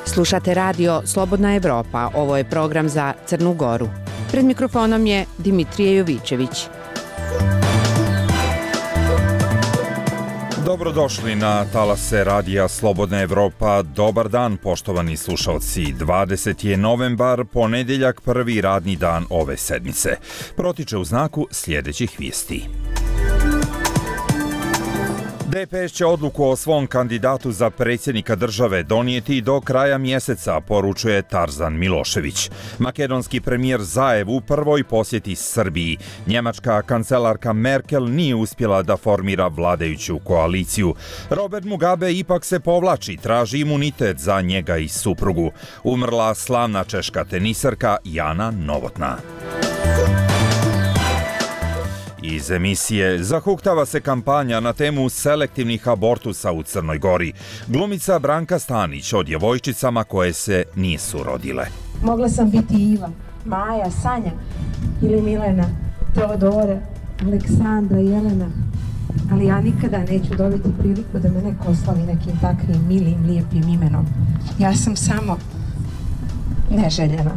Slušate radio Slobodna Evropa, ovo je program za Crnu Goru. Pred mikrofonom je Dimitrije Jovićević. Dobrodošli na talase radija Slobodna Evropa. Dobar dan, poštovani slušalci. 20. je novembar, ponedjeljak, prvi radni dan ove sedmice. Protiče u znaku sljedećih vijesti. DPS će odluku o svom kandidatu za predsjednika države donijeti do kraja mjeseca, poručuje Tarzan Milošević. Makedonski premijer Zaev u prvoj posjeti Srbiji. Njemačka kancelarka Merkel nije uspjela da formira vladajuću koaliciju. Robert Mugabe ipak se povlači, traži imunitet za njega i suprugu. Umrla slavna češka tenisarka Jana Novotná. Iz emisije zahuktava se kampanja na temu selektivnih abortusa u Crnoj Gori. Glumica Branka Stanić o djevojčicama koje se nisu rodile. Mogla sam biti Iva, Maja, Sanja ili Milena, Teodora, Aleksandra, Jelena. Ali ja nikada neću dobiti priliku da me neko oslavi nekim takvim milim, lijepim imenom. Ja sam samo neželjena.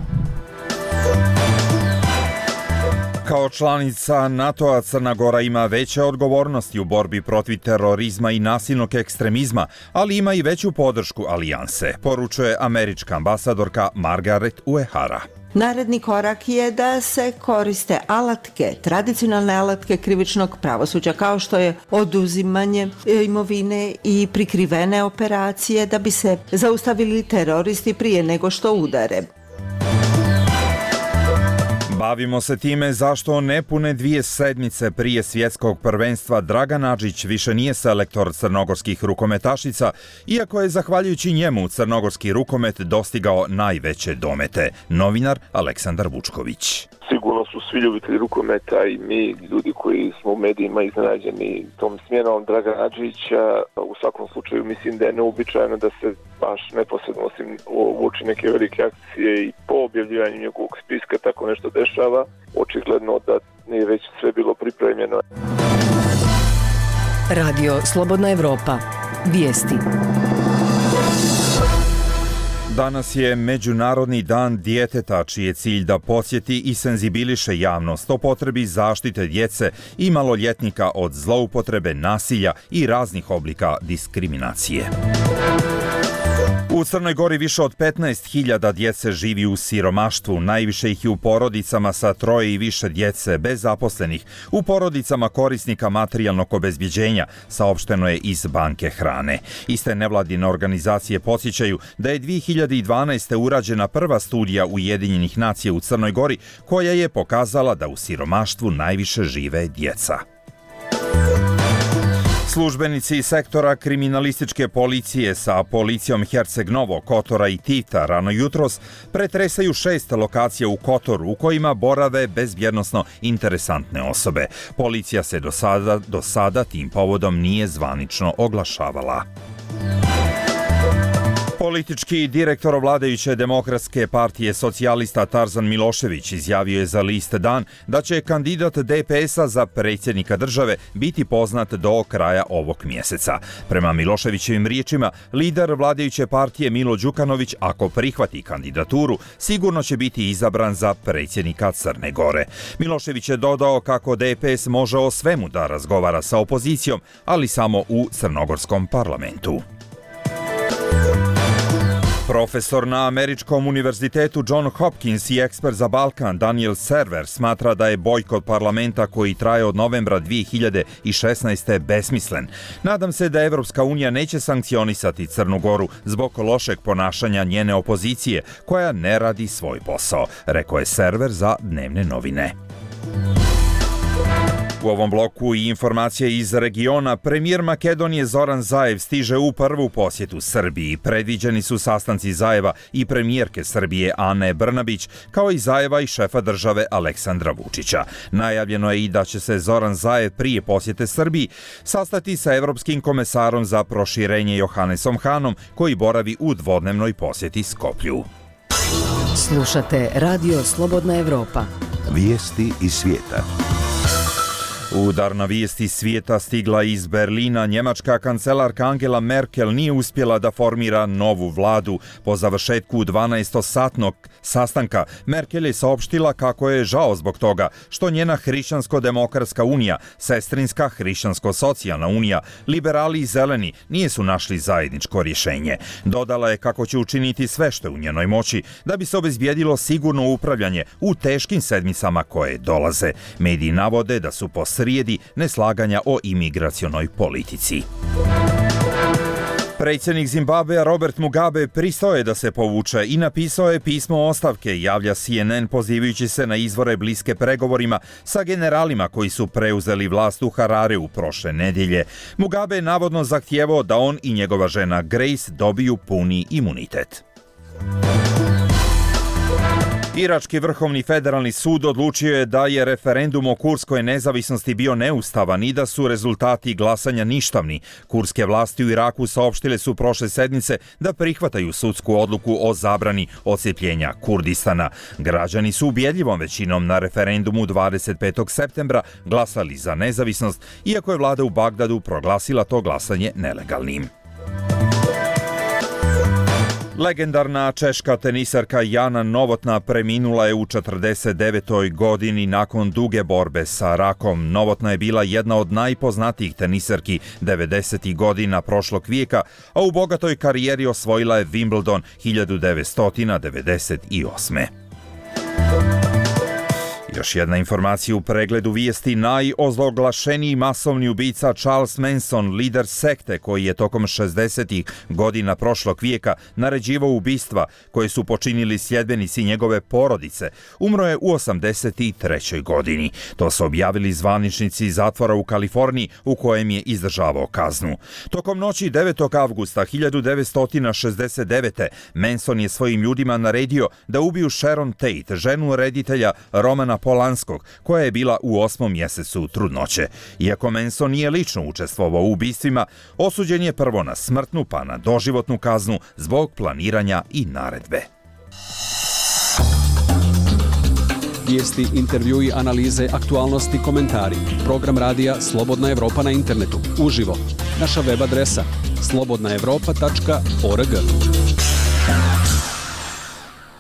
Kao članica NATO-a Crna Gora ima veće odgovornosti u borbi protiv terorizma i nasilnog ekstremizma, ali ima i veću podršku alijanse, poručuje američka ambasadorka Margaret Uehara. Naredni korak je da se koriste alatke, tradicionalne alatke krivičnog pravosuđa, kao što je oduzimanje imovine i prikrivene operacije da bi se zaustavili teroristi prije nego što udare. Bavimo se time zašto nepune 2 sedmice prije svjetskog prvenstva Dragan Adžić više nije selektor crnogorskih rukometašica, iako je zahvaljujući njemu crnogorski rukomet dostigao najveće domete. Novinar Aleksandar Vučković. Sigurno su svi ljubitelji rukometa i mi, ljudi koji smo u medijima iznenađeni tom smjenom Dragana Adžića. U svakom slučaju mislim da je neuobičajeno da se baš neposredno osim uoči neke velike akcije i po objavljivanju njegovog spiska tako nešto dešava. Očigledno da nije već sve bilo pripremljeno. Radio Slobodna Evropa. Vijesti. Danas je Međunarodni dan djeteta, čiji je cilj da podsjeti i senzibiliše javnost o potrebi zaštite djece i maloljetnika od zloupotrebe, nasilja i raznih oblika diskriminacije. U Crnoj Gori više od 15.000 djece živi u siromaštvu, najviše ih je u porodicama sa 3 i više djece bez zaposlenih, u porodicama korisnika materijalnog obezbjeđenja, saopšteno je iz Banke hrane. Iste nevladine organizacije podsjećaju da je 2012. urađena prva studija Ujedinjenih nacija u Crnoj Gori koja je pokazala da u siromaštvu najviše žive djeca. Službenici sektora kriminalističke policije sa policijom Herceg Novog, Kotora i Tivta rano jutros pretresaju 6 lokacija u Kotoru u kojima borave bezbjednosno interesantne osobe. Policija se do sada tim povodom nije zvanično oglašavala. Politički direktor vladajuće Demokratske partije socijalista Tarzan Milošević izjavio je za list Dan da će kandidat DPS-a za predsjednika države biti poznat do kraja ovog mjeseca. Prema Miloševićevim riječima, lider vladajuće partije Milo Đukanović, ako prihvati kandidaturu, sigurno će biti izabran za predsjednika Crne Gore. Milošević je dodao kako DPS može o svemu da razgovara sa opozicijom, ali samo u crnogorskom parlamentu. Profesor na Američkom univerzitetu John Hopkins i ekspert za Balkan Daniel Server smatra da je bojkot parlamenta koji traje od novembra 2016. besmislen. Nadam se da Evropska unija neće sankcionisati Crnu Goru zbog lošeg ponašanja njene opozicije koja ne radi svoj posao, rekao je Server za Dnevne novine. U ovom bloku i informacije iz regiona, premijer Makedonije Zoran Zaev stiže u prvu posjetu Srbiji. Predviđeni su sastanci Zaeva i premijerke Srbije Ane Brnabić, kao i Zaeva i šefa države Aleksandra Vučića. Najavljeno je i da će se Zoran Zaev prije posjete Srbiji sastati sa evropskim komesarom za proširenje Johannesom Hanom, koji boravi u dvodnevnoj posjeti Skoplju. Slušate Radio Slobodna Evropa. Vijesti iz svijeta. Udarna vijest iz svijeta stigla iz Berlina. Njemačka kancelarka Angela Merkel nije uspjela da formira novu vladu. Po završetku 12-satnog sastanka Merkel je saopštila kako je žao zbog toga što njena Hrišćansko-demokratska unija, sestrinska Hrišćansko-socijalna unija, liberali i zeleni nisu našli zajedničko rješenje. Dodala je kako će učiniti sve što je u njenoj moći da bi se obezbijedilo sigurno upravljanje u teškim sedmicama koje dolaze. Mediji navode da su po srijedi neslaganja o imigracionoj politici. Predsjednik Zimbabvea Robert Mugabe pristao je da se povuče i napisao je pismo ostavke, javlja CNN pozivajući se na izvore bliske pregovorima sa generalima koji su preuzeli vlast u Harareu prošle nedjelje. Mugabe je navodno zahtijevao da on i njegova žena Grace dobiju puni imunitet. Irački vrhovni federalni sud odlučio je da je referendum o kurskoj nezavisnosti bio neustavan i da su rezultati glasanja ništavni. Kurske vlasti u Iraku saopštile su prošle sedmice da prihvataju sudsku odluku o zabrani odcijepljenja Kurdistana. Građani su ubjedljivom većinom na referendumu 25. septembra glasali za nezavisnost, iako je vlada u Bagdadu proglasila to glasanje nelegalnim. Legendarna češka tenisarka Jana Novotná preminula je u 49. godini nakon duge borbe sa rakom. Novotná je bila jedna od najpoznatijih tenisarki 90. godina prošlog vijeka, a u bogatoj karijeri osvojila je Wimbledon 1998. Još jedna informacija u pregledu vijesti. Najozloglašeniji masovni ubica Charles Manson, lider sekte koji je tokom 60. godina prošlog vijeka naređivao ubistva koje su počinili sljedbenici njegove porodice, umro je u 83. godini. To su objavili zvaničnici zatvora u Kaliforniji u kojem je izdržavao kaznu. Tokom noći 9. avgusta 1969. Manson je svojim ljudima naredio da ubiju Sharon Tate, ženu reditelja Romana Polanskog, koja je bila u 8. mjesecu trudnoće. Iako Manson nije lično učestvovao u ubistvima, osuđen je prvo na smrtnu pa na doživotnu kaznu zbog planiranja i naredbe. Vijesti, intervjui, analize, aktualnosti, komentari. Program radija Slobodna Evropa na internetu. Uživo. Naša web adresa slobodnaevropa.org.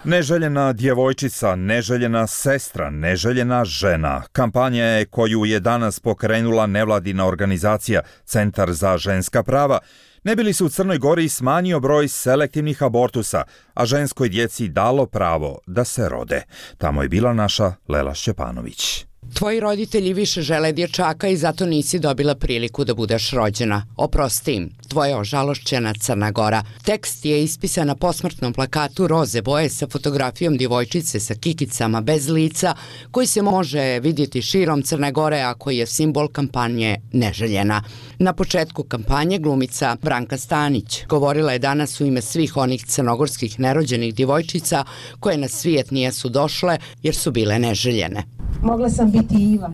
Neželjena djevojčica, neželjena sestra, neželjena žena. Kampanja je koju je danas pokrenula nevladina organizacija Centar za ženska prava, ne bi li se u Crnoj Gori smanjio broj selektivnih abortusa, a ženskoj djeci dalo pravo da se rode. Tamo je bila naša Lela Šćepanović. Tvoji roditelji više žele dječaka i zato nisi dobila priliku da budeš rođena. Oprosti im, tvoja ožalošćena Crna Gora. Tekst je ispisan na posmrtnom plakatu roze boje sa fotografijom djevojčice sa kikicama bez lica, koji se može vidjeti širom Crne Gore, a koji je simbol kampanje Neželjena. Na početku kampanje glumica Branka Stanić govorila je danas u ime svih onih crnogorskih nerođenih djevojčica koje na svijet nijesu došle jer su bile neželjene. Mogla sam biti Iva,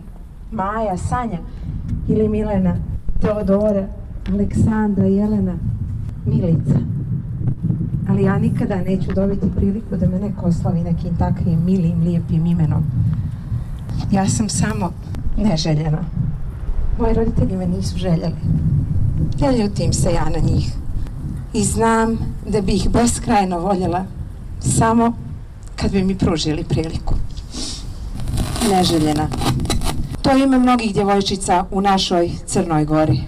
Maja, Sanja ili Milena, Teodora, Aleksandra, Jelena, Milica. Ali ja nikada neću dobiti priliku da me neko oslavi nekim takvim milim, lijepim imenom. Ja sam samo neželjena. Moji roditelji me nisu željeli. Ne ljutim se ja na njih. I znam da bi ih beskrajno voljela samo kad bi mi pružili priliku. Neželjena. To je ime mnogih djevojčica u našoj Crnoj Gori.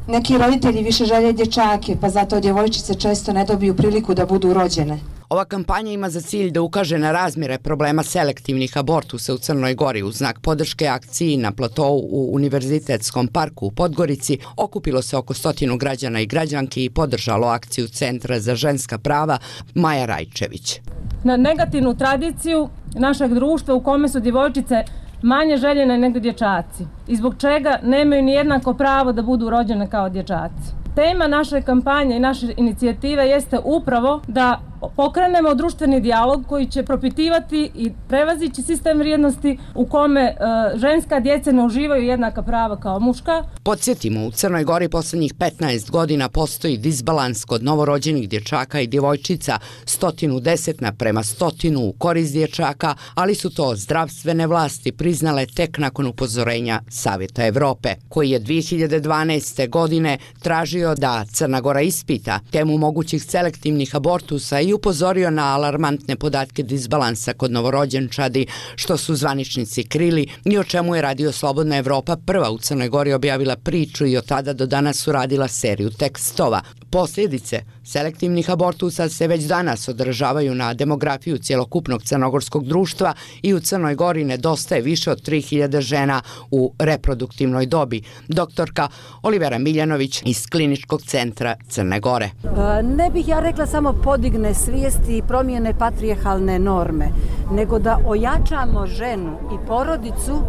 Neki roditelji više žele dječake, pa zato djevojčice često ne dobiju priliku da budu rođene. Ova kampanja ima za cilj da ukaže na razmjere problema selektivnih abortusa u Crnoj Gori. U znak podrške akciji na platou u Univerzitetskom parku u Podgorici okupilo se oko 100 građana i građanki i podržalo akciju Centra za ženska prava Maja Rajčević. Na negativnu tradiciju našeg društva u kome su djevojčice manje željene nego dječaci i zbog čega nemaju ni jednako pravo da budu rođene kao dječaci. Tema naše kampanje i naše inicijative jeste upravo da pokrenemo društveni dijalog koji će propitivati i prevazići sistem vrijednosti u kome ženska djeca ne uživaju jednaka prava kao muška. Podsjetimo, u Crnoj Gori poslednjih 15 godina postoji disbalans kod novorođenih dječaka i djevojčica 110:100 u korist dječaka, ali su to zdravstvene vlasti priznale tek nakon upozorenja Savjeta Evrope, koji je 2012. godine tražio da Crna Gora ispita temu mogućih selektivnih abortusa i upozorio na alarmantne podatke disbalansa kod novorođenčadi, što su zvaničnici krili i o čemu je Radio Slobodna Evropa prva u Crnoj Gori objavila priču i od tada do danas uradila seriju tekstova. Posljedice selektivnih abortusa se već danas odražavaju na demografiju cjelokupnog crnogorskog društva i u Crnoj Gori nedostaje više od 3000 žena u reproduktivnoj dobi. Doktorka Olivera Miljanović iz Kliničkog centra Crne Gore. Ne bih ja rekla samo podigne svijesti i promijene patrijarhalne norme, nego da ojačamo ženu i porodicu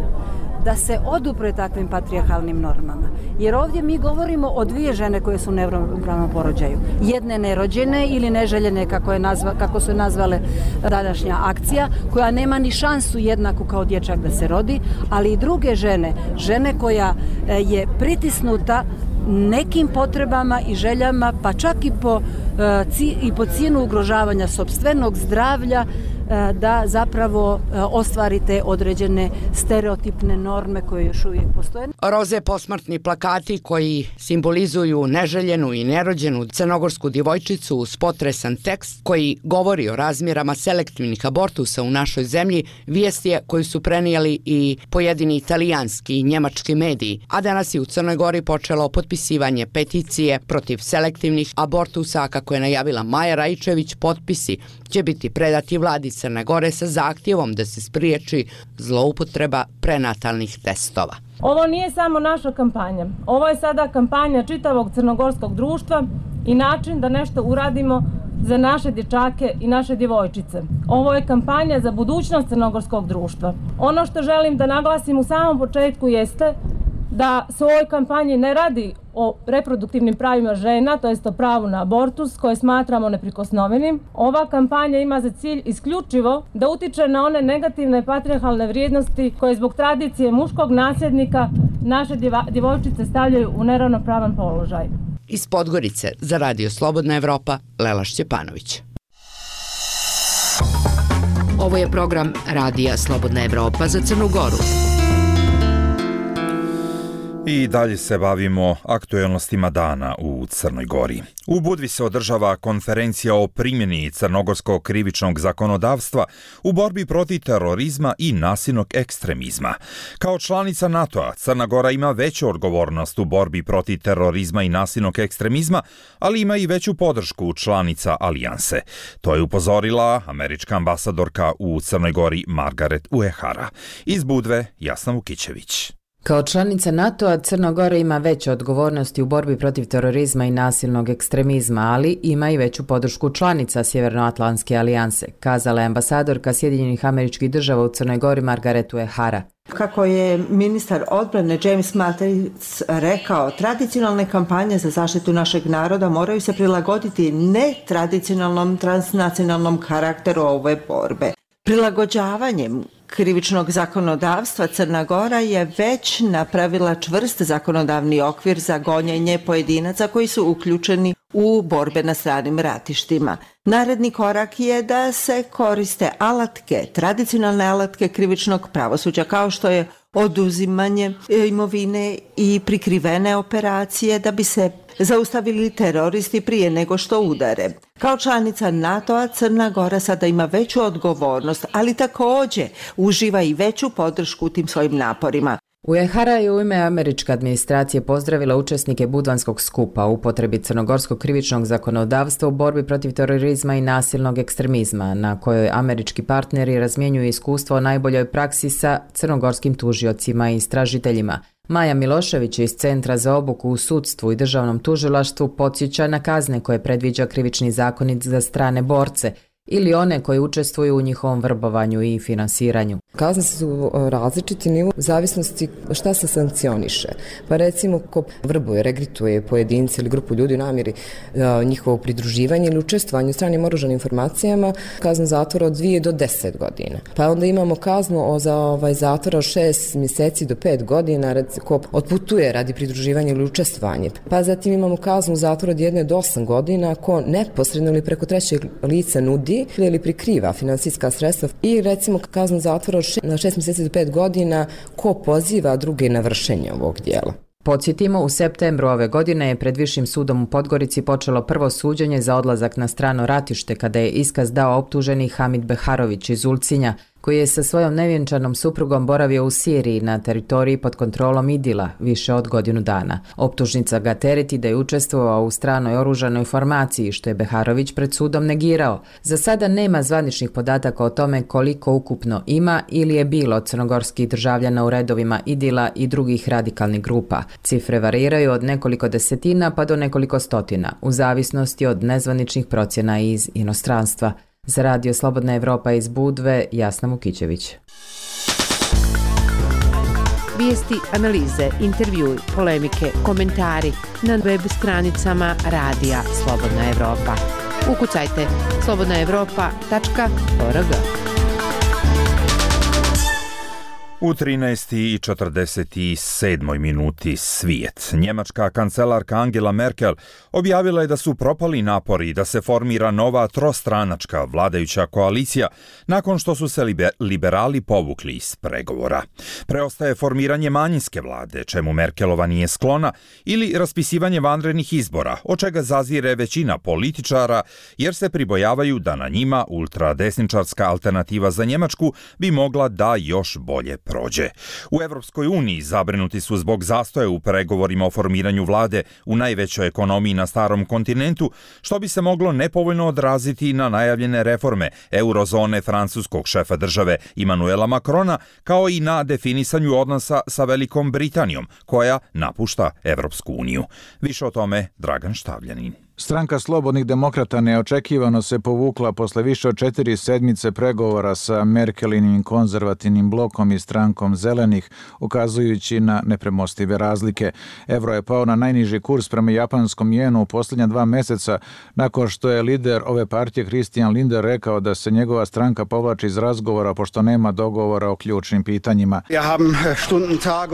da se odupre takvim patrijarhalnim normama. Jer ovdje mi govorimo o dvije žene koje su u neravnopravnom porođaju. Jedne nerođene ili neželjene, kako su nazvale današnja akcija, koja nema ni šansu jednaku kao dječak da se rodi, ali i druge žene koja je pritisnuta nekim potrebama i željama, pa čak i po cijenu ugrožavanja sopstvenog zdravlja, da zapravo ostvarite određene stereotipne norme koje još uvijek postoje. Roze posmrtni plakati koji simbolizuju neželjenu i nerođenu crnogorsku djevojčicu uz potresan tekst koji govori o razmjerama selektivnih abortusa u našoj zemlji, vijest je koju su prenijeli i pojedini italijanski i njemački mediji, a danas je u Crnoj Gori počelo potpisivanje peticije protiv selektivnih abortusa, kako je najavila Maja Raičević. Potpisi će biti predati vladi Crne Gore sa zahtjevom da se spriječi zloupotreba prenatalnih testova. Ovo nije samo naša kampanja. Ovo je sada kampanja čitavog crnogorskog društva i način da nešto uradimo za naše dječake i naše djevojčice. Ovo je kampanja za budućnost crnogorskog društva. Ono što želim da naglasim u samom početku jeste da se u ovoj kampanji ne radi o reproduktivnim pravima žena, to jest o pravu na abortus, koje smatramo neprikosnovenim. Ova kampanja ima za cilj isključivo da utiče na one negativne patrijarhalne vrijednosti koje zbog tradicije muškog nasljednika naše djevojčice stavljaju u neravnopravan položaj. Iz Podgorice za Radio Slobodna Evropa, Lela Šćepanović. Ovo je program Radija Slobodna Evropa za Crnu Goru. I dalje se bavimo aktuelnostima dana u Crnoj Gori. U Budvi se održava konferencija o primjeni crnogorskog krivičnog zakonodavstva u borbi protiv terorizma i nasilnog ekstremizma. Kao članica NATO-a, Crna Gora ima veću odgovornost u borbi protiv terorizma i nasilnog ekstremizma, ali ima i veću podršku članica alijanse. To je upozorila američka ambasadorka u Crnoj Gori Margaret Uehara. Iz Budve, Jasna Vukićević. Kao članica NATO-a, Crna Gora ima veće odgovornosti u borbi protiv terorizma i nasilnog ekstremizma, ali ima i veću podršku članica Sjevernoatlantske alijanse, kazala je ambasadorka Sjedinjenih Američkih Država u Crnoj Gori Margaret Uehara. Kako je ministar odbrane James Mattis rekao, tradicionalne kampanje za zaštitu našeg naroda moraju se prilagoditi netradicionalnom transnacionalnom karakteru ove borbe. Prilagođavanjem krivičnog zakonodavstva Crna Gora je već napravila čvrst zakonodavni okvir za gonjenje pojedinaca koji su uključeni u borbe na stranim ratištima. Naredni korak je da se koriste alatke, tradicionalne alatke krivičnog pravosuđa kao što je oduzimanje imovine i prikrivene operacije da bi se zaustavili teroristi prije nego što udare. Kao članica NATO-a Crna Gora sada ima veću odgovornost, ali također uživa i veću podršku u tim svojim naporima. Uehara je u ime američke administracije pozdravila učesnike Budvanskog skupa u upotrebi crnogorskog krivičnog zakonodavstva u borbi protiv terorizma i nasilnog ekstremizma, na kojoj američki partneri razmjenjuju iskustvo o najboljoj praksi sa crnogorskim tužiocima i istražiteljima. Maja Milošević iz Centra za obuku u sudstvu i državnom tužilaštvu podsjeća na kazne koje predviđa krivični zakonik za strane borce ili one koji učestvuju u njihovom vrbovanju i finansiranju. Kazne su različiti nivo u zavisnosti šta se sankcioniše. Pa recimo ko vrbuje, regrutuje pojedinci ili grupu ljudi u namjeri njihovo pridruživanje ili učestvovanje u stranim oružanim formacijama, kazna zatvora od 2 do 10 godina. Pa onda imamo kaznu za zatvora od 6 mjeseci do 5 godina ko otputuje radi pridruživanja ili učestvovanje. Pa zatim imamo kaznu zatvora od 1 do 8 godina ko neposredno ili preko trećeg lica nudi ili prikriva finansijska sredstva i recimo kaznu zatvora od 6 mjeseci do 5 godina ko poziva druge na vršenje ovog dijela. Podsjetimo, u septembru ove godine je pred Višim sudom u Podgorici počelo prvo suđenje za odlazak na strano ratište kada je iskaz dao optuženi Hamid Beharović iz Ulcinja, koji je sa svojom nevjenčanom suprugom boravio u Siriji na teritoriji pod kontrolom IDIL-a više od godinu dana. Optužnica ga tereti da je učestvovao u stranoj oružanoj formaciji, što je Beharović pred sudom negirao. Za sada nema zvaničnih podataka o tome koliko ukupno ima ili je bilo crnogorskih državljana u redovima IDIL-a i drugih radikalnih grupa. Cifre variraju od nekoliko desetina pa do nekoliko stotina, u zavisnosti od nezvaničnih procjena iz inostranstva. Za Radio Slobodna Evropa iz Budve, Jasna Mukićević. Vijesti, analize, intervjui, polemike, komentari na web stranicama Radija Slobodna Evropa. Ukucajte slobodnaevropa.org. U 13:47 minuti svijet. Njemačka kancelarka Angela Merkel objavila je da su propali napori da se formira nova trostranačka vladajuća koalicija nakon što su se liberali povukli iz pregovora. Preostaje formiranje manjinske vlade, čemu Merkelova nije sklona, ili raspisivanje vanrednih izbora, od čega zazire većina političara, jer se pribojavaju da na njima ultradesničarska alternativa za Njemačku bi mogla da još bolje prođe. U Evropskoj uniji zabrinuti su zbog zastoja u pregovorima o formiranju vlade u najvećoj ekonomiji na starom kontinentu, što bi se moglo nepovoljno odraziti na najavljene reforme eurozone francuskog šefa države Emmanuela Macrona, kao i na definisanju odnosa sa Velikom Britanijom, koja napušta Evropsku uniju. Više o tome Dragan Štavljanin. Stranka Slobodnih demokrata neočekivano se povukla posle više od 4 sedmice pregovora sa Merkelinim konzervativnim blokom i strankom Zelenih, ukazujući na nepremostive razlike. Evro je pao na najniži kurs prema japanskom jenu u posljednja 2 meseca, nakon što je lider ove partije Christian Lindner rekao da se njegova stranka povlači iz razgovora pošto nema dogovora o ključnim pitanjima.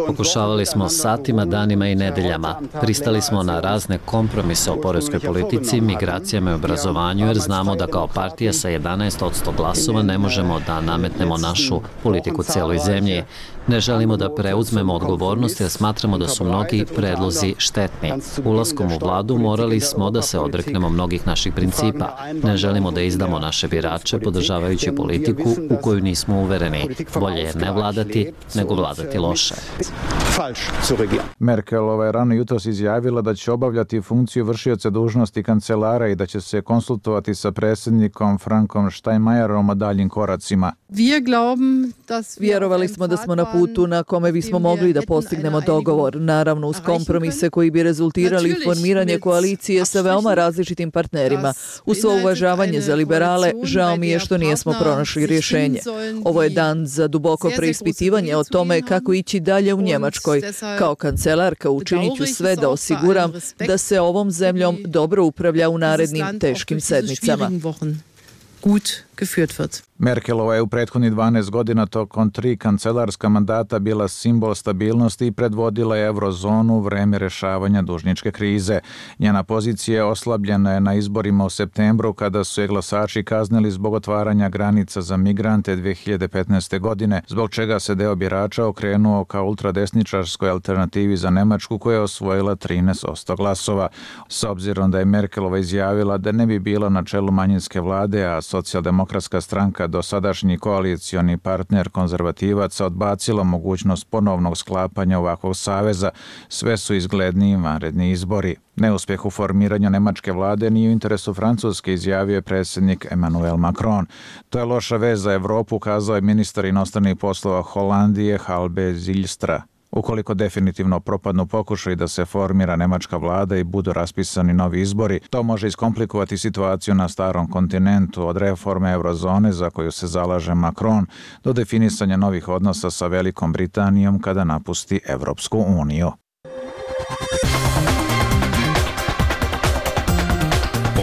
Pokušavali smo satima, danima i nedeljama. Pristali smo na razne kompromise o poreskoj politici, migracijama i obrazovanju, jer znamo da kao partija sa 11% glasova ne možemo da nametnemo našu politiku cijeloj zemlji. Ne želimo da preuzmemo odgovornost jer smatramo da su mnogi predlozi štetni. Ulaskom u vladu morali smo da se odreknemo mnogih naših principa. Ne želimo da izdamo naše birače podržavajući politiku u koju nismo uvereni. Bolje je ne vladati nego vladati loše. Merkelova je rano jutros izjavila da će obavljati funkciju vršioca dužnosti kancelara i da će se konsultovati sa predsjednikom Frankom Steinmeierom o daljim koracima. Vjerovali smo da smo na putu na kome bismo mogli da postignemo dogovor, naravno uz kompromise koji bi rezultirali formiranje koalicije sa veoma različitim partnerima. Uz svo uvažavanje za liberale, žao mi je što nismo pronašli rješenje. Ovo je dan za duboko preispitivanje o tome kako ići dalje u Njemačkoj. Kao kancelarka učinit ću sve da osiguram da se ovom zemljom dobro upravlja u narednim teškim sedmicama. Merkelova je u prethodnih 12 godina tokom 3 kancelarska mandata bila simbol stabilnosti i predvodila je eurozonu u vreme rešavanja dužničke krize. Njena pozicija oslabljena je na izborima u septembru kada su je glasači kaznili zbog otvaranja granica za migrante 2015. godine, zbog čega se deo birača okrenuo ka ultradesničarskoj alternativi za Nemačku koja je osvojila 13% glasova. S obzirom da je Merkelova izjavila da ne bi bila na čelu manjinske vlade, a socijaldemokratska stranka dosadašnji koalicioni partner konzervativaca odbacilo mogućnost ponovnog sklapanja ovakvog saveza, sve su izgledniji vanredni izbori. Neuspjeh u formiranju nemačke vlade nije u interesu Francuske, izjavio je predsjednik Emmanuel Macron. To je loša vez za Evropu, kazao je ministar inostranih poslova Holandije Halbe Zijlstra. Ukoliko definitivno propadnu pokušaj da se formira nemačka vlada i budu raspisani novi izbori, to može iskomplikovati situaciju na starom kontinentu od reforme eurozone za koju se zalaže Macron do definisanja novih odnosa sa Velikom Britanijom kada napusti Evropsku uniju.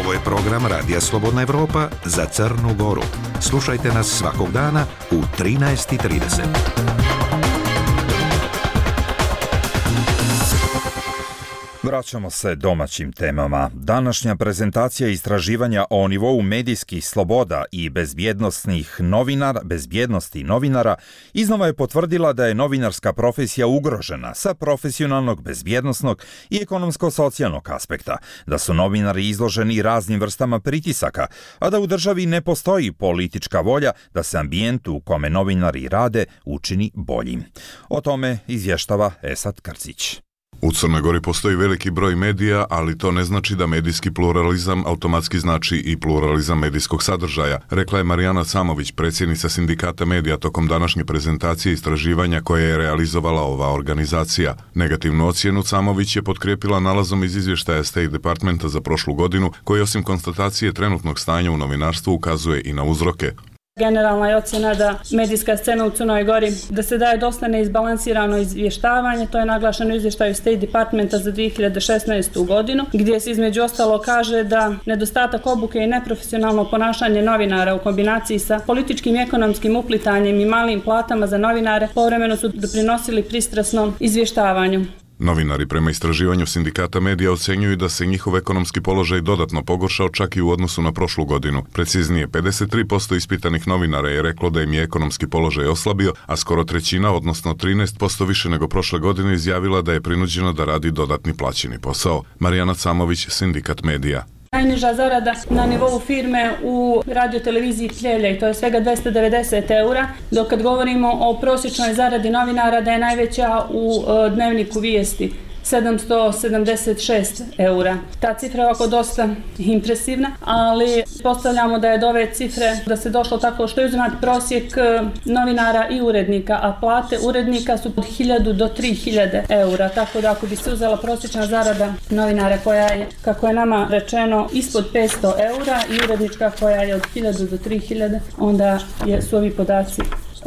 Ovo je program Radija Slobodna Evropa za Crnu Goru. Slušajte nas svakog dana u 13:30. Vraćamo se domaćim temama. Današnja prezentacija istraživanja o nivou medijskih sloboda i bezbjednosti novinara iznova je potvrdila da je novinarska profesija ugrožena sa profesionalnog, bezbjednosnog i ekonomsko-socijalnog aspekta, da su novinari izloženi raznim vrstama pritisaka, a da u državi ne postoji politička volja da se ambijent u kome novinari rade učini boljim. O tome izvještava Esad Krcić. U Crnoj Gori postoji veliki broj medija, ali to ne znači da medijski pluralizam automatski znači i pluralizam medijskog sadržaja, rekla je Marijana Camović, predsjednica Sindikata medija tokom današnje prezentacije istraživanja koje je realizovala ova organizacija. Negativnu ocjenu Camović je potkrijepila nalazom iz izvještaja State Departmenta za prošlu godinu, koji osim konstatacije trenutnog stanja u novinarstvu ukazuje i na uzroke. Generalna je ocjena da medijska scena u Crnoj Gori da se daje dosta neizbalansirano izvještavanje, to je naglašeno u izvještaju State Departmenta za 2016. godinu, gdje se između ostalo kaže da nedostatak obuke i neprofesionalno ponašanje novinara u kombinaciji sa političkim i ekonomskim uplitanjem i malim platama za novinare povremeno su doprinosili pristrasnom izvještavanju. Novinari prema istraživanju Sindikata medija ocenjuju da se njihov ekonomski položaj dodatno pogoršao čak i u odnosu na prošlu godinu. Preciznije, 53% ispitanih novinara je reklo da im je ekonomski položaj oslabio, a skoro trećina, odnosno 13% više nego prošle godine, izjavila da je prinuđena da radi dodatni plaćeni posao. Marijana Camović, Sindikat medija. Najniža zarada na nivou firme u radioteleviziji Pljevlja i to je svega 290 eura, dok kad govorimo o prosječnoj zaradi novinara da je najveća u dnevniku Vijesti. 776 eura. Ta cifra je ovako dosta impresivna, ali postavljamo da je do ove cifre da se došlo tako što je uzimat prosjek novinara i urednika, a plate urednika su od 1000 do 3000 eura, tako da ako bi se uzela prosječna zarada novinara koja je, kako je nama rečeno, ispod 500 eura i urednička koja je od 1000 do 3000, onda su ovi podaci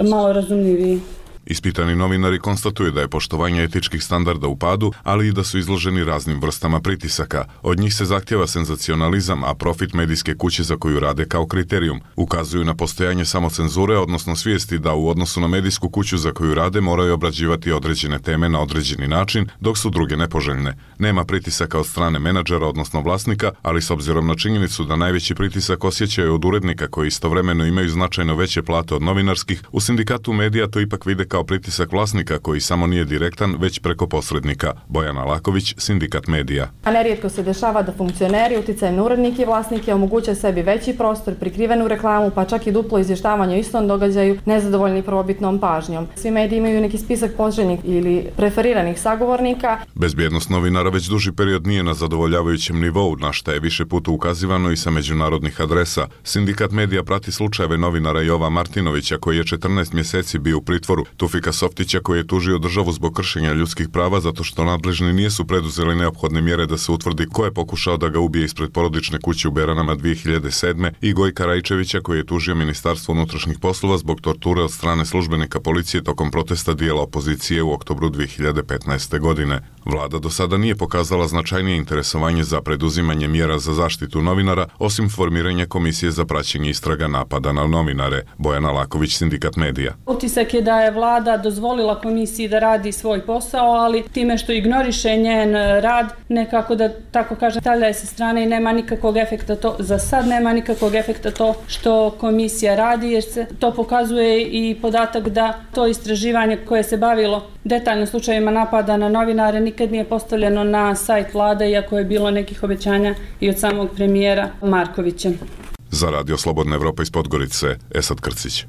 malo razumljiviji. Ispitani novinari konstatuju da je poštovanje etičkih standarda u padu, ali i da su izloženi raznim vrstama pritisaka. Od njih se zahtjeva senzacionalizam, a profit medijske kuće za koju rade kao kriterijum. Ukazuju na postojanje samocenzure, odnosno svijesti da u odnosu na medijsku kuću za koju rade moraju obrađivati određene teme na određeni način, dok su druge nepoželjne. Nema pritisaka od strane menadžera, odnosno vlasnika, ali s obzirom na činjenicu da najveći pritisak osjećaju od urednika koji istovremeno imaju značajno veće plate od novinarskih, u Sindikatu medija to ipak vide kao pritisak vlasnika koji samo nije direktan, već preko posrednika. Bojana Laković, Sindikat medija. A nerijetko se dešava da funkcioneri uticajem na urednike i vlasnike omoguće sebi veći prostor, prikrivenu reklamu, pa čak i duplo izvještavanje o istom događaju, nezadovoljni prvobitnom pažnjom. Svi mediji imaju neki spisak poželjnih ili preferiranih sagovornika. Bezbjednost novinara već duži period nije na zadovoljavajućem nivou, na šta je više puta ukazivano i sa međunarodnih adresa. Sindikat medija prati slučajeve novinara Jova Martinovića, koji je 14 mjeseci bio u pritvoru, Tufika Softića, koji je tužio državu zbog kršenja ljudskih prava zato što nadležni nisu preduzeli neophodne mjere da se utvrdi ko je pokušao da ga ubije ispred porodične kuće u Beranama 2007. i Gojka Rajčevića, koji je tužio Ministarstvo unutrašnjih poslova zbog torture od strane službenika policije tokom protesta dijela opozicije u oktobru 2015. godine. Vlada do sada nije pokazala značajnije interesovanje za preduzimanje mjera za zaštitu novinara, osim formiranja komisije za praćenje istraga napada na novinare. Bojana Laković, Sindikat medija. Utisak je da je vlada dozvolila komisiji da radi svoj posao, ali time što ignoriše njen rad, nekako da tako kažem, stavlja je sa strane i nema nikakvog efekta to, za sad nema nikakvog efekta to što komisija radi, jer se to pokazuje i podatak da to istraživanje koje se bavilo detaljno slučajevima napada na novinare nikad nije postavljeno na sajt vlade, iako je bilo nekih obećanja i od samog premijera Markovića. Za Radio Slobodna Evropa iz Podgorice, Esad Krcić.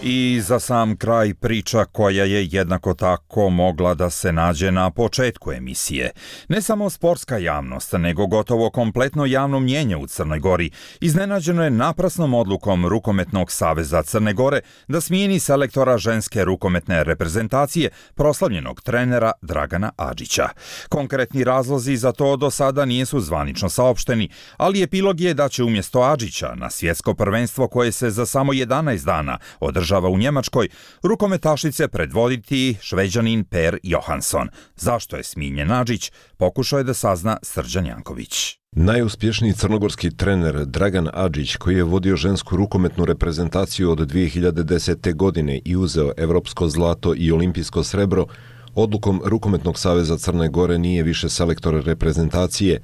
I za sam kraj priča koja je jednako tako mogla da se nađe na početku emisije. Ne samo sportska javnost, nego gotovo kompletno javno mnjenje u Crnoj Gori iznenađeno je naprasnom odlukom Rukometnog saveza Crne Gore da smijeni selektora ženske rukometne reprezentacije, proslavljenog trenera Dragana Adžića. Konkretni razlozi za to do sada nisu zvanično saopšteni, ali epilog je da će umjesto Adžića na svjetsko prvenstvo koje se za samo 11 dana održava u Njemačkoj, rukometašice predvoditi Šveđanin Per Johansson. Zašto je smijenjen Adžić, pokušao je da sazna Srđan Janković. Najuspješniji crnogorski trener Dragan Adžić, koji je vodio žensku rukometnu reprezentaciju od 2010. godine i uzeo evropsko zlato i olimpijsko srebro, odlukom Rukometnog saveza Crne Gore nije više selektor reprezentacije.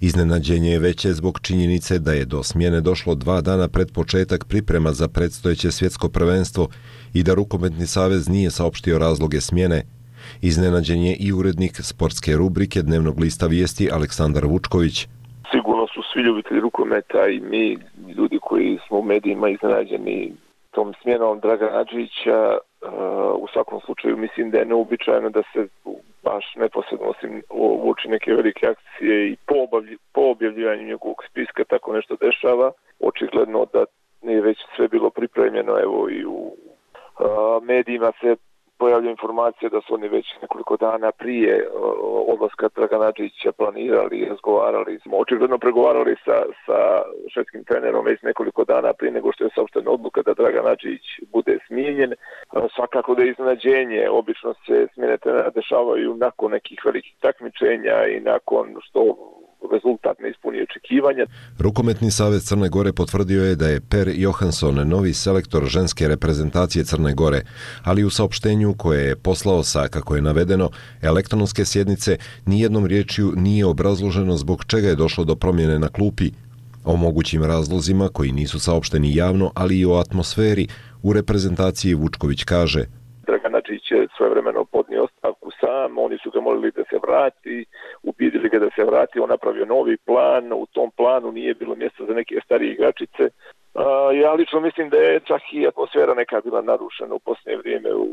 Iznenađenje je veće zbog činjenice da je do smjene došlo 2 dana pred početak priprema za predstojeće svjetsko prvenstvo i da Rukometni savez nije saopštio razloge smjene. Iznenađen je i urednik sportske rubrike dnevnog lista Vijesti Aleksandar Vučković. Sigurno su svi ljubitelji rukometa i mi, ljudi koji smo u medijima, iznenađeni tom smjenom Dragana Adžića. U svakom slučaju mislim da je neobičajeno da se baš neposredno osim uoči neke velike akcije i po objavljivanju njegovog spiska tako nešto dešava. Očigledno da je već sve bilo pripremljeno, evo i u medijima se pojavlja informacija da su oni već nekoliko dana prije odlaska Dragana Adžića planirali i razgovarali. Smo očigledno pregovarali sa švedskim trenerom već nekoliko dana prije nego što je saopštena odluka da Dragan Adžić bude smijenjen. Svakako da je iznenađenje, obično se smjene trenera dešavaju nakon nekih velikih takmičenja i nakon što rezultat ne ispunio očekivanja. Rukometni savez Crne Gore potvrdio je da je Per Johansson novi selektor ženske reprezentacije Crne Gore, ali u saopštenju koje je poslao sa, kako je navedeno, elektronske sjednice, nijednom riječju nije obrazloženo zbog čega je došlo do promjene na klupi. O mogućim razlozima koji nisu saopšteni javno, ali i o atmosferi u reprezentaciji Vučković kaže: Dragan Adžić je svojevremeno podnio ostavku sam, oni su ga molili da se vrati, ubedili ga da se vrati, on napravio novi plan, u tom planu nije bilo mjesta za neke starije igračice. Ja lično mislim da je čak i atmosfera neka bila narušena u posljednje vrijeme u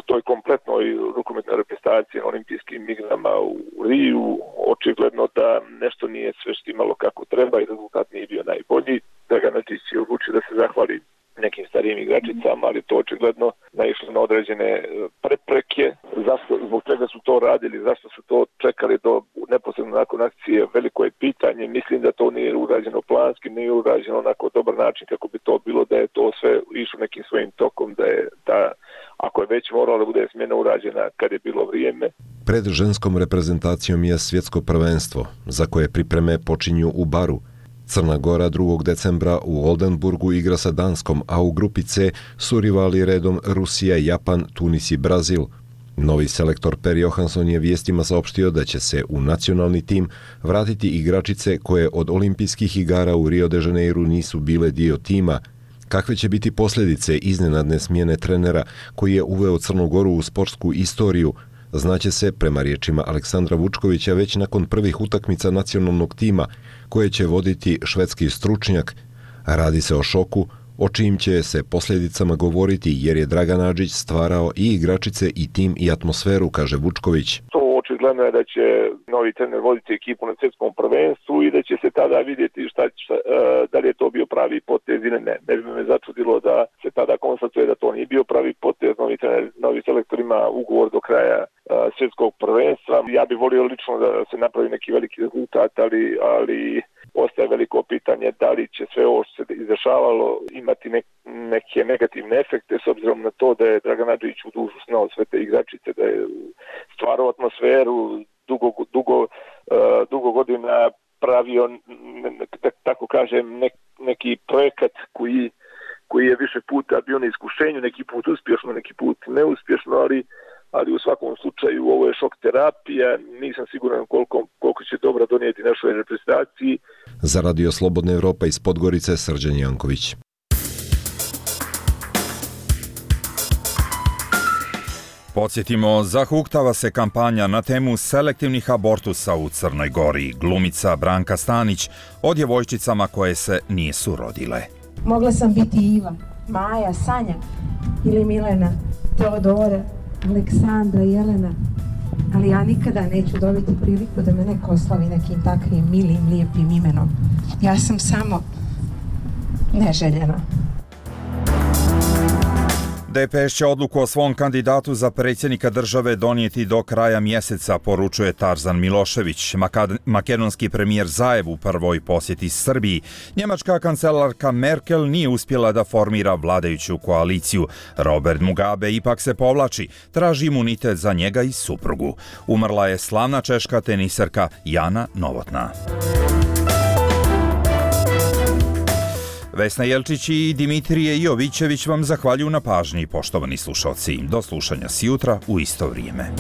toj kompletnoj rukometnoj reprezentaciji na olimpijskim igrama u Riju. Očigledno da nešto nije sve štimalo kako treba i rezultat nije bio najbolji. Dragan Adžić je odlučio da se zahvali nekim starijim igračicama, ali to očigledno naišlo na određene prepreke. Zašto, zbog čega su to radili, zašto su to čekali do neposredno nakon akcije, veliko je pitanje. Mislim da to nije urađeno planski, nije urađeno onako dobar način kako bi to bilo, da je to sve išlo nekim svojim tokom, da ako je već moralo da bude smjena urađena kad je bilo vrijeme. Pred ženskom reprezentacijom je svjetsko prvenstvo, za koje pripreme počinju u Baru. Crna Gora 2. decembra u Oldenburgu igra sa Danskom, a u grupi C su rivali redom Rusija, Japan, Tunis i Brazil. Novi selektor Per Johansson je vijestima saopštio da će se u nacionalni tim vratiti igračice koje od olimpijskih igara u Rio de Janeiru nisu bile dio tima. Kakve će biti posljedice iznenadne smjene trenera koji je uveo Crnu Goru u sportsku istoriju, znaće se, prema riječima Aleksandra Vučkovića, već nakon prvih utakmica nacionalnog tima koje će voditi švedski stručnjak. Radi se o šoku, o čijim će se posljedicama govoriti jer je Dragan Adžić stvarao i igračice i tim i atmosferu, kaže Vučković. Očigledno je da će novi trener voditi ekipu na svjetskom prvenstvu i da će se tada vidjeti da li je to bio pravi potez ili ne. Ne bi me začudilo da se tada konstatuje da to nije bio pravi potez. Novi selektor ima ugovor do kraja svjetskog prvenstva. Ja bih volio lično da se napravi neki veliki rezultat, ali ostaje veliko pitanje da li će sve ovo što se izdešavalo imati neke negativne efekte s obzirom na to da je Dragan Adžić u dušu snao sve te igračice, da je stvarao atmosferu, dugo godina pravio, tako kažem, neki projekat koji je više puta bio na iskušenju, neki put uspješno, neki put neuspješno, ali u svakom slučaju ovo je šok terapija, nisam siguran koliko će dobro donijeti našoj reprezentaciji. Za Radio Slobodna Evropa iz Podgorice, Srđan Janković. Podsjetimo, zahuktava se kampanja na temu selektivnih abortusa u Crnoj Gori. Glumica Branka Stanić o djevojčicama koje se nisu rodile. Mogla sam biti Iva, Maja, Sanja ili Milena, Teodora, Aleksandra, Jelena, ali ja nikada neću dobiti priliku da me neko oslavi nekim takvim milim, lijepim imenom. Ja sam samo neželjena. DPS će odluku o svom kandidatu za predsjednika države donijeti do kraja mjeseca, poručuje Tarzan Milošević. Makedonski premijer Zaev u prvoj posjeti Srbiji. Njemačka kancelarka Merkel nije uspjela da formira vladajuću koaliciju. Robert Mugabe ipak se povlači, traži imunitet za njega i suprugu. Umrla je slavna češka teniserka Jana Novotná. Vesna Jelčić i Dimitrije Jovićević vam zahvaljuju na pažnji, poštovani slušalci. Do slušanja sjutra u isto vrijeme.